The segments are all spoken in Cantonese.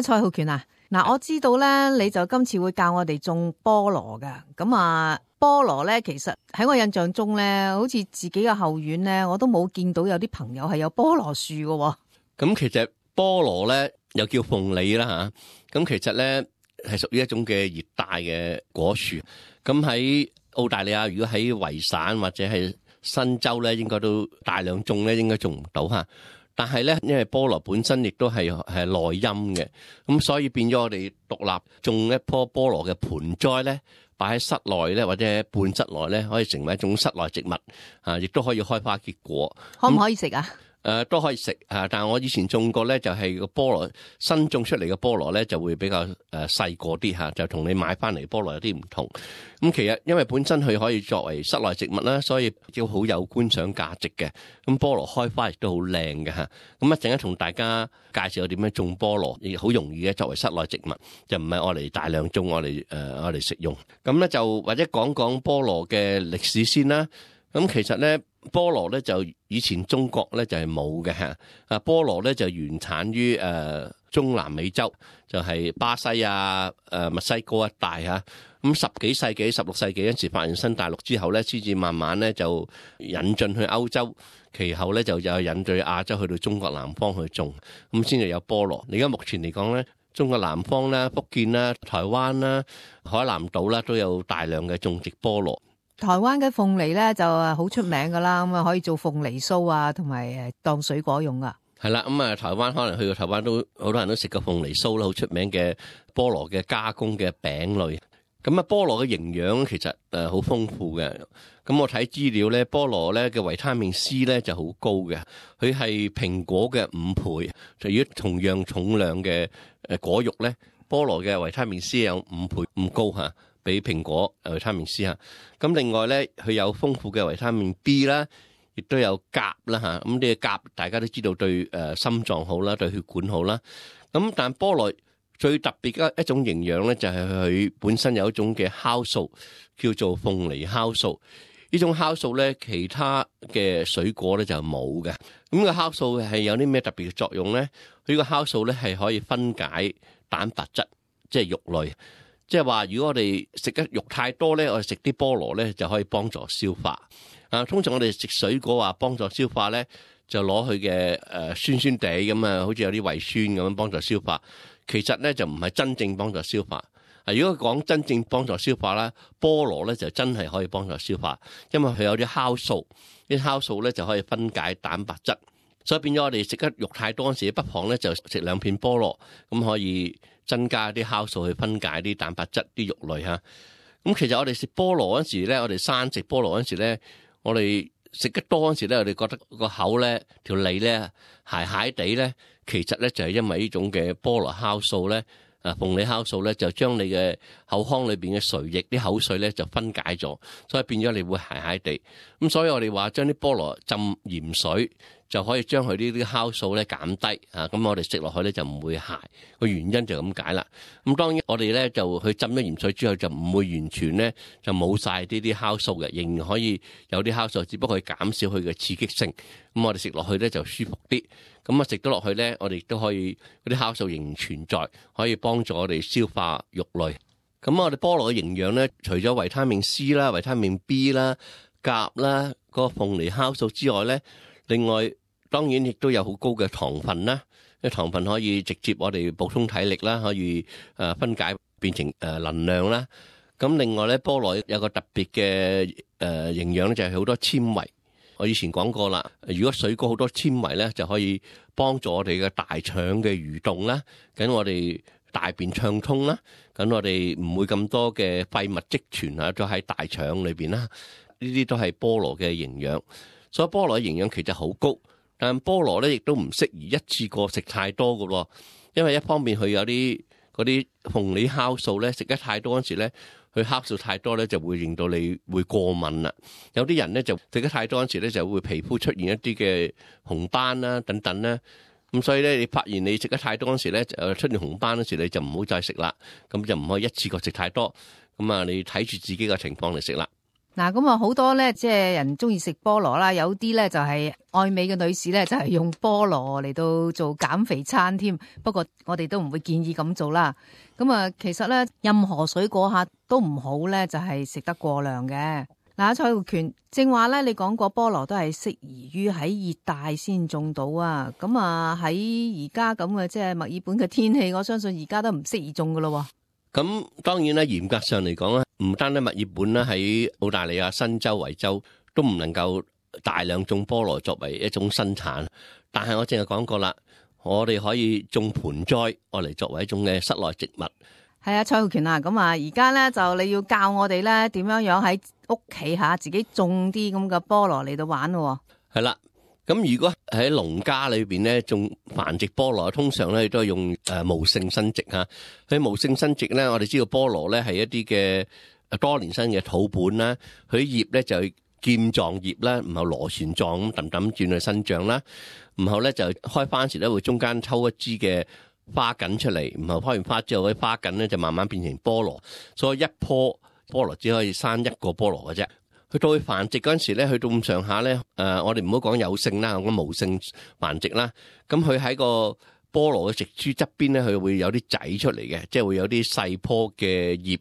蔡浩權啊，嗱，我知道咧，你就今次會教我哋種菠蘿噶。咁啊，菠蘿咧，其實喺我印象中咧，好似自己嘅後院咧，我都冇見到有啲朋友係有菠蘿樹嘅。咁其實菠蘿咧又叫鳳梨啦吓，咁其實咧係屬於一種嘅熱帶嘅果樹。咁喺澳大利亞，如果喺維省或者係新州咧，應該都大量種咧，應該種唔到吓。但係咧，因為菠蘿本身亦都係耐陰嘅，咁所以變咗我哋獨立種一棵菠蘿嘅盆栽咧，擺喺室內咧或者半室內咧，可以成為一種室內植物啊，亦都可以開花結果。可唔可以食啊？都可以食啊，但係我以前種過咧，就係個菠蘿新種出嚟嘅菠蘿咧，就會比較細個啲吓，就同你買翻嚟菠蘿有啲唔同。咁其實因為本身佢可以作為室內植物啦，所以都好有觀賞價值嘅。咁菠蘿開花亦都好靚嘅吓。咁一陣間同大家介紹我點樣種菠蘿，亦好容易嘅作為室內植物，就唔係我嚟大量種，我嚟食用。咁咧就或者講講菠蘿嘅歷史先啦。咁其實咧，菠蘿咧就以前中國咧就係冇嘅吓。菠蘿咧就原產於中南美洲，就係巴西啊、墨西哥一帶吓。咁16世紀嗰陣時發現新大陸之後咧，先至慢慢咧就引進去歐洲，其後咧就有引進亞洲去到中國南方去種，咁先至有菠蘿。而家目前嚟講咧，中國南方啦、福建啦、台灣啦、海南島啦都有大量嘅種植菠蘿。台灣嘅鳳梨咧就好出名噶啦，咁啊可以做鳳梨酥啊，同埋當水果用啊。係啦，咁啊台灣可能去到台灣都好多人都食過鳳梨酥啦，好出名嘅菠蘿嘅加工嘅餅類。咁啊菠蘿嘅營養其實好豐富嘅。咁我睇資料咧，菠蘿咧嘅維他命 C 咧就好高嘅，佢係蘋果嘅5倍。就如果同樣重量嘅果肉咧，菠蘿嘅維他命 C 有5倍咁高吓。比蘋果維他命 C 吓，咁另外咧佢有豐富嘅維他命 B 啦，亦都有鉀啦吓，咁呢個鉀大家都知道對心臟好啦，對血管好啦。咁但菠蘿最特別嘅一種營養咧，就係佢本身有一種嘅酵素，叫做鳳梨酵素。呢種酵素咧，其他嘅水果咧就冇嘅。咁個酵素係有啲咩特別嘅作用咧？佢個酵素咧係可以分解蛋白質，即係肉類。即係話，如果我哋食得肉太多咧，我哋食啲菠蘿咧就可以幫助消化。通常我哋食水果話幫助消化咧，就攞佢嘅酸酸地咁啊，好似有啲胃酸咁樣幫助消化。其實咧就唔係真正幫助消化。如果講真正幫助消化啦，菠蘿咧就真係可以幫助消化，因為佢有啲酵素，啲酵素咧就可以分解蛋白質。所以變咗我哋食得肉太多嗰時，不妨咧就食2片菠蘿，咁可以增加啲酵素去分解啲蛋白質、啲肉類嚇。咁其實我哋食菠蘿嗰時咧，我哋生食菠蘿嗰時咧，我哋食得多嗰時咧，我哋覺得個口咧、條脷咧鞋鞋地咧，其實咧就係因為呢種嘅菠蘿酵素咧。鳳梨酵素咧就將你嘅口腔裏邊嘅髓液啲口水咧就分解咗，所以變咗你會鞋鞋地。咁所以我哋話將啲菠蘿浸鹽水就可以將佢呢啲酵素咧減低啊。咁我哋食落去咧就唔會鞋，個原因就咁解啦。咁當然我哋咧就去浸咗鹽水之後就唔會完全咧就冇晒呢啲酵素嘅，仍然可以有啲酵素，只不過係減少佢嘅刺激性。咁我哋食落去咧就舒服啲。咁啊食得落去咧，我哋都可以嗰啲酵素仍然存在，可以幫助我哋消化肉類。咁我哋菠蘿嘅營養咧，除咗維他命 C 啦、維他命 B 啦、鉀啦、嗰個鳳梨酵素之外咧，另外當然亦都有好高嘅糖分啦。因為糖分可以直接我哋補充體力啦，可以分解變成能量啦。咁另外咧，菠蘿有個特別嘅營養咧，就係好多纖維。我以前講過啦，如果水果好多纖維咧，就可以幫助我哋嘅大腸嘅蠕動啦，咁我哋大便暢通啦，咁我哋唔會咁多嘅廢物積存啊，咗喺大腸裏邊啦。呢啲都係菠蘿嘅營養，所以菠蘿嘅營養其實好高，但菠蘿咧亦都唔適宜一次過食太多㗎喎，因為一方面佢有啲嗰啲鳳梨酵素咧，食得太多嗰時咧。佢酵素太多咧，就會令到你會過敏啦。有啲人咧就食得太多嗰時咧，就會皮膚出現一啲嘅紅斑啦等等啦。咁所以咧，你發現你食得太多嗰時咧，出現紅斑嗰時，你就唔好再食啦。咁就唔可以一次過食太多。咁啊，你睇住自己嘅情況嚟食啦。嗱，咁啊好多咧，即係人中意食菠蘿啦，有啲咧就係愛美嘅女士咧，就係用菠蘿嚟到做減肥餐添。不過我哋都唔會建議咁做啦。咁啊，其實咧任何水果下都唔好咧，就係食得過量嘅。嗱，蔡浩權正話咧，你講過菠蘿都係適宜於喺熱帶先種到啊。咁啊喺而家咁嘅即係墨爾本嘅天氣，我相信而家都唔適宜種噶咯。咁當然咧，嚴格上嚟講咧，唔單止墨爾本啦，喺澳大利亞新州、維州都唔能夠大量種菠蘿作為一種生產。但係我淨係講過啦，我哋可以種盆栽，我嚟作為一種嘅室內植物。係啊，蔡浩權啊，咁啊，而家咧就你要教我哋咧點樣樣喺屋企下自己種啲咁嘅菠蘿嚟到玩咯。係啦。咁如果喺農家裏邊咧種繁殖菠蘿，通常咧都係用無性生殖嚇。喺無性生殖咧，我哋知道菠蘿咧係一啲嘅多年生嘅土本啦，佢啲葉咧就劍狀葉啦，然後螺旋狀咁揼揼轉去生長啦，然後咧就開花時咧會中間抽一支嘅花梗出嚟，然後開完花之後，嗰啲花梗咧就慢慢變成菠蘿，所以一棵菠蘿只可以生一個菠蘿嘅啫。去到繁殖嗰陣時咧，去到咁上下咧，我哋唔好講有性啦，講無性繁殖啦。咁佢喺個菠蘿嘅植株側邊咧，佢會有啲仔出嚟嘅，即係會有啲細棵嘅葉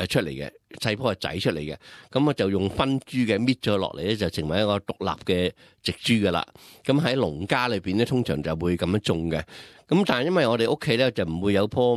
出嚟嘅，細棵嘅仔出嚟嘅。咁我就用分株嘅搣咗落嚟咧，就成為一個獨立嘅植株噶啦。咁喺農家裏邊咧，通常就會咁樣種嘅。咁但係因為我哋屋企咧就唔會有棵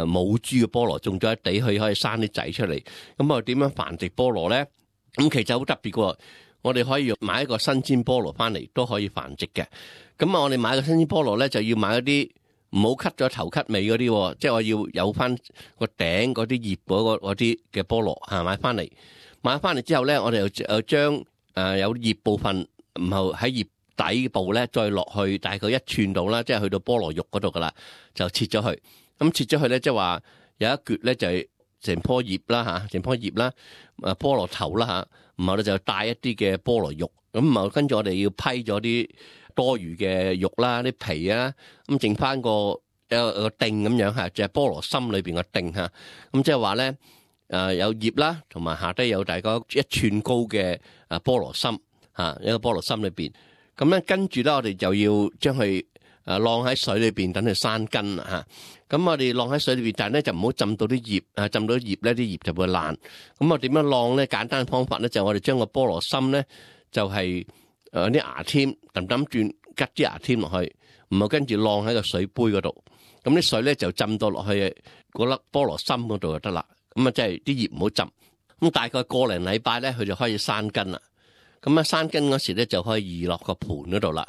母株嘅菠蘿種咗一地，佢可以生啲仔出嚟。咁我點樣繁殖菠蘿咧？咁其實好特別嘅，我哋可以買一個新鮮菠蘿翻嚟都可以繁殖嘅。咁啊，我哋買個新鮮菠蘿咧，就要買一啲唔好 cut 咗頭 cut 尾嗰啲，即係我要有翻個頂嗰啲葉嗰啲嘅菠蘿嚇買翻嚟。買翻嚟之後咧，我哋又將有葉部分，然後喺葉底部咧再落去大概1寸度啦，即係去到菠蘿肉嗰度噶啦，就切咗佢。咁切咗佢咧，即係話有一橛咧就係成棵葉啦嚇，成棵葉啦，菠蘿頭啦嚇，然後咧就帶一啲嘅菠蘿肉，咁然後跟住我哋要批咗啲多餘嘅肉啦、啲皮啊，咁剩翻個靛咁樣嚇，就係菠蘿心裏邊個靛嚇，咁即係話咧有葉啦，同埋下低有大概1寸高嘅菠蘿心嚇，一個菠蘿心裏邊，咁咧跟住咧我哋就要將佢晾喺水裏邊等佢生根嚇。咁我哋晾喺水裏邊，但係咧就唔好浸到啲葉，浸到葉咧啲葉就會爛。咁我點樣晾咧？簡單嘅方法咧就係我哋將個菠蘿心咧就係啲牙籤揼揼轉，吉啲牙籤落去，然後跟住晾喺個水杯嗰度。咁啲水咧就浸到落去嗰粒菠蘿心嗰度就得啦。咁啊即係啲葉唔好浸。咁大概個零禮拜咧，佢就可以生根啦。咁啊生根嗰時咧就可以移落個盤嗰度啦。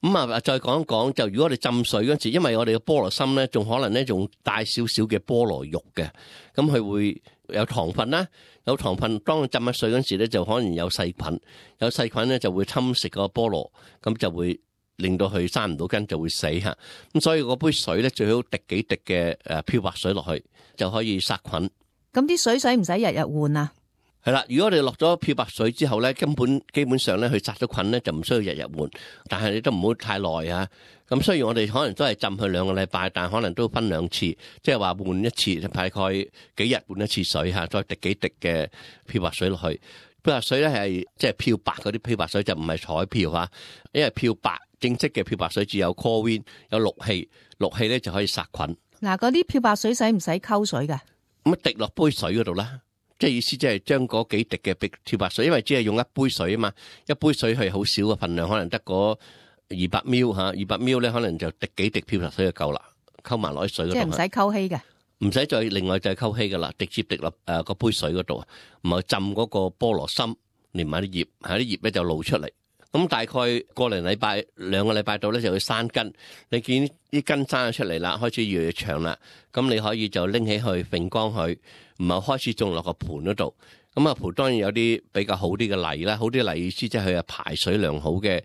咁啊，再講一講，就如果我哋浸水嗰陣時，因為我哋嘅菠蘿心咧，仲可能咧仲帶少少嘅菠蘿肉嘅，咁佢會有糖分啦，有糖分，當佢浸喺水嗰陣時咧，就可能有細菌，有細菌咧就會侵蝕個菠蘿，咁就會令到佢生唔到根，就會死嚇。咁所以嗰杯水咧最好滴幾滴嘅漂白水落去，就可以殺菌。咁啲水使唔使日日換啊？係啦，如果我哋落咗漂白水之後咧，基本上咧佢殺咗菌咧就唔需要日日換，但係你都唔好太耐啊。咁雖然我哋可能都係浸佢2個禮拜，但係可能都分2次，即係話換一次，大概幾日換一次水嚇，再滴幾滴嘅漂白水落去。漂白水咧係即係漂白嗰啲漂白水，就唔係彩漂嚇，因為漂白正式嘅漂白水只有 chlorine 有氯氣，氯氣咧就可以殺菌。嗱，嗰啲漂白水使唔使溝水㗎？咁滴落杯水嗰度啦。即係意思，即係將嗰幾滴嘅漂白水，因為只係用一杯水啊嘛，一杯水係好少嘅份量，可能得嗰200 ml 嚇，200 ml 咧可能就滴幾滴漂白水就夠啦，溝埋落啲水嗰度。即係唔使溝稀嘅，唔使再另外再溝稀噶啦，直接滴落個杯水嗰度，唔係浸嗰個菠蘿心，連埋啲葉，啲葉咧就露出嚟。咁大概個零禮拜、2個禮拜到咧就會生根。你見啲根生咗出嚟啦，開始越嚟越長啦。咁你可以就拎起去揈乾佢，唔係開始種落個盤嗰度。咁啊盤當然有啲比較好啲嘅泥啦，好啲泥意思即係佢係排水良好嘅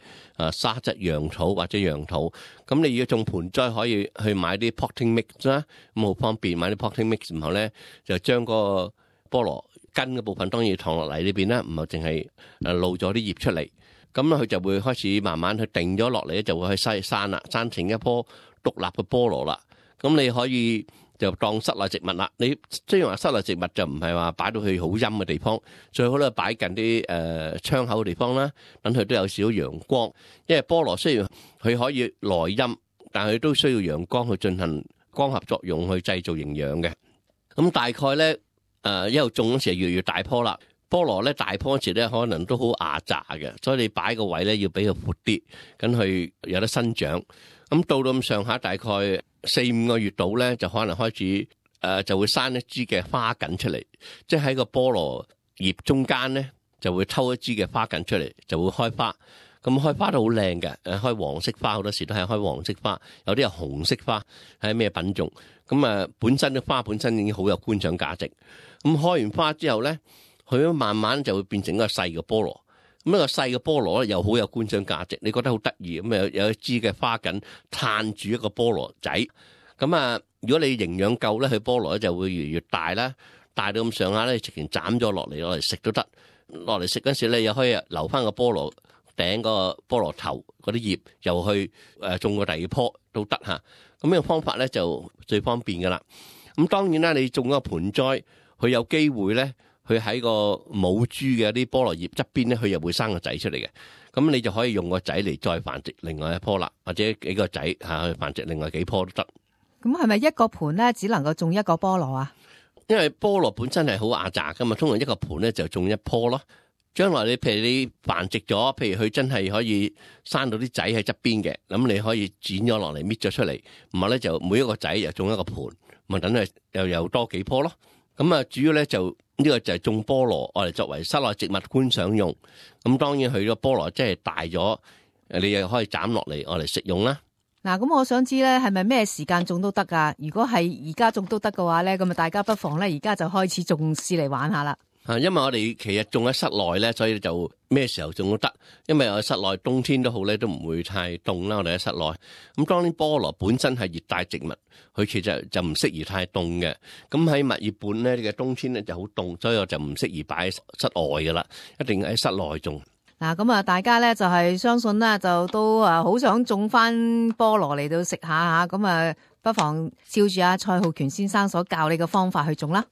沙質楊土或者楊土。咁你要種盆栽可以去買啲 potting mix 啦，咁好方便買啲 potting mix，然後咧就將個菠蘿根嘅部分當然躺落泥裏邊啦，唔係淨係露咗啲葉出嚟。咁佢就會開始慢慢去定咗落嚟咧，就會去生啦，生成一棵獨立嘅菠蘿啦。咁你可以就當室內植物啦。你雖然話室內植物就唔係話擺到去好陰嘅地方，最好咧擺近啲窗口嘅地方啦，等佢都有少少陽光。因為菠蘿雖然佢可以耐陰，但係佢都需要陽光去進行光合作用去製造營養嘅。咁大概咧一路種嗰時越嚟越大棵啦。菠蘿咧大棵嗰時咧可能都好壓榨嘅，所以你擺個位咧要俾佢闊啲，咁佢有得生長。咁到咁上下大概4-5個月度咧，就可能開始就會生一支嘅花梗出嚟，即係喺個菠蘿葉中間咧就會抽一支嘅花梗出嚟，就會開花。咁開花都好靚嘅，開黃色花好多時都係開黃色花，有啲係紅色花，係咩品種？咁本身啲花本身已經好有觀賞價值。咁開完花之後咧，佢慢慢就會變成一個細嘅菠蘿。咁一個細嘅菠蘿咧又好有觀賞價值，你覺得好得意咁有一支嘅花梗撐住一個菠蘿仔。咁如果你營養夠咧，佢菠蘿咧就會越嚟越大啦，大到咁上下咧，直情斬咗落嚟食都得。落嚟食嗰時咧，又可以留翻個菠蘿頂個菠蘿頭嗰啲葉，又去種個第二棵都得嚇。咁呢個方法咧就最方便噶啦。咁當然啦，你種一個盆栽，佢有機會咧，佢喺個母株嘅啲菠蘿葉側邊咧，佢又會生個仔出嚟嘅。咁你就可以用個仔嚟再繁殖另外一棵啦，或者幾個仔去繁殖另外幾棵都得。咁係咪一個盆咧只能夠種一個菠蘿啊？因為菠蘿本身係好壓榨噶嘛，通常一個盆咧就種一棵咯。將來你譬如你繁殖咗，譬如佢真係可以生到啲仔喺側邊嘅，咁你可以剪咗落嚟搣咗出嚟，唔係咧就每一個仔又種一個盆，咪等佢又有多幾棵咯。咁主要咧就呢個就係種菠蘿，我哋作為室內植物觀賞用。咁當然佢個菠蘿真係大咗，你又可以斬落嚟我嚟食用啦。嗱，咁我想知咧，係咪咩時間種都得噶？如果係而家種都得嘅話咧，咁大家不妨咧而家就開始種試嚟玩下啦。因為我哋其實種喺室內咧，所以就咩時候種都得。因為我室內冬天都好咧，都唔會太凍啦。我哋喺室內，咁當然菠蘿本身係熱帶植物，佢其實就唔適宜太凍嘅。咁喺墨爾本咧嘅冬天咧就好凍，所以我就唔適宜擺喺室外噶啦，一定喺室內種。嗱，咁大家咧就係相信咧，就都好想種翻菠蘿嚟到食下吓，咁不妨照住阿蔡浩權先生所教你嘅方法去種啦。